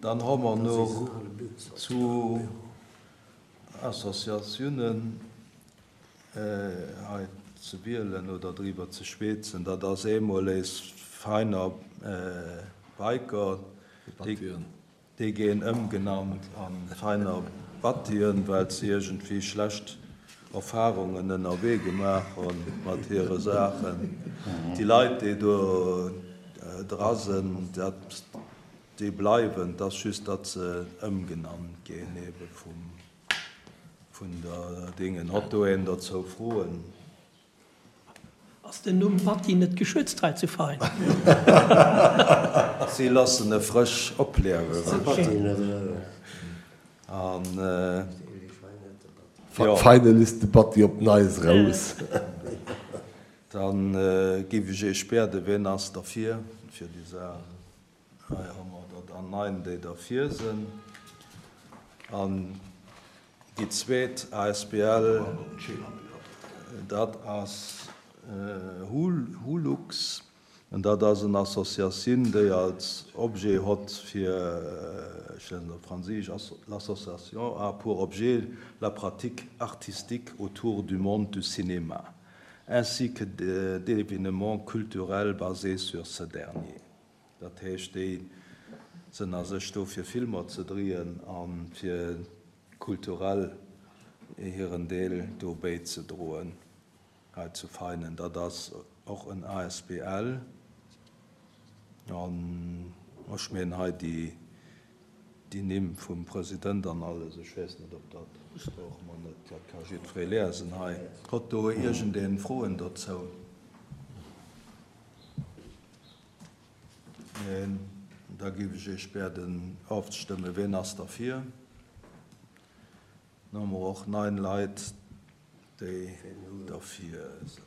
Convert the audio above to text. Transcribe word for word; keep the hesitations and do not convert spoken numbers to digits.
Dann hu mer nach zwou Associatiounen hei ze wielen oder driwwer ze schwätzen. Dat ass eemol eis Veiner Biker, déi ginn ëmgenannt a Veiner Battien, well se iergendwéi schlecht Erfarungen ënnerwee gemaach hu mat hire Saachen. Déi Leit, déi do dra sinn, dat, déi bleiwen, et ass just, datt se ëmgenannt ginn ebe vum, vun der Dingen. Hott do een dozou Froen? Ass den Numm Batti net geschützt hei zu Vein? Si loossen e frësch opliewen. An jo. Finally is de Batti op d'Neis raus. Dann giff ech Iech bieden, wien ass derfir fir déi Saach? Hei hu mer der dann nein, déi derfir sinn. An déi zweet asbl, dat ass Hulux. An dat ass en Associatioun, déi als Objet hott fir, ech liesen op Franséisch, L'association a pour objet la pratique artistique autour du monde du cinéma, ainsi que d'événements culturels basés sur ce dernier. Dat heescht, déi sinn a sech do fir Filmer ze drieen a fir kulturell hiren Deel do béizedroen hei zu Veinen. Dat ass och en asbl. An ech mengen hei déi déi Nimm vum President an alles, ech weess net, ob dat brauche mer net, dat ka jiddweree liesen hei. Huet do iergendeen Froen dozou? Neen. Da géif ech Iech bieden ofzestëmmen. Wien ass derfir? Dann hu mer och neun Leit, déi derfir sinn.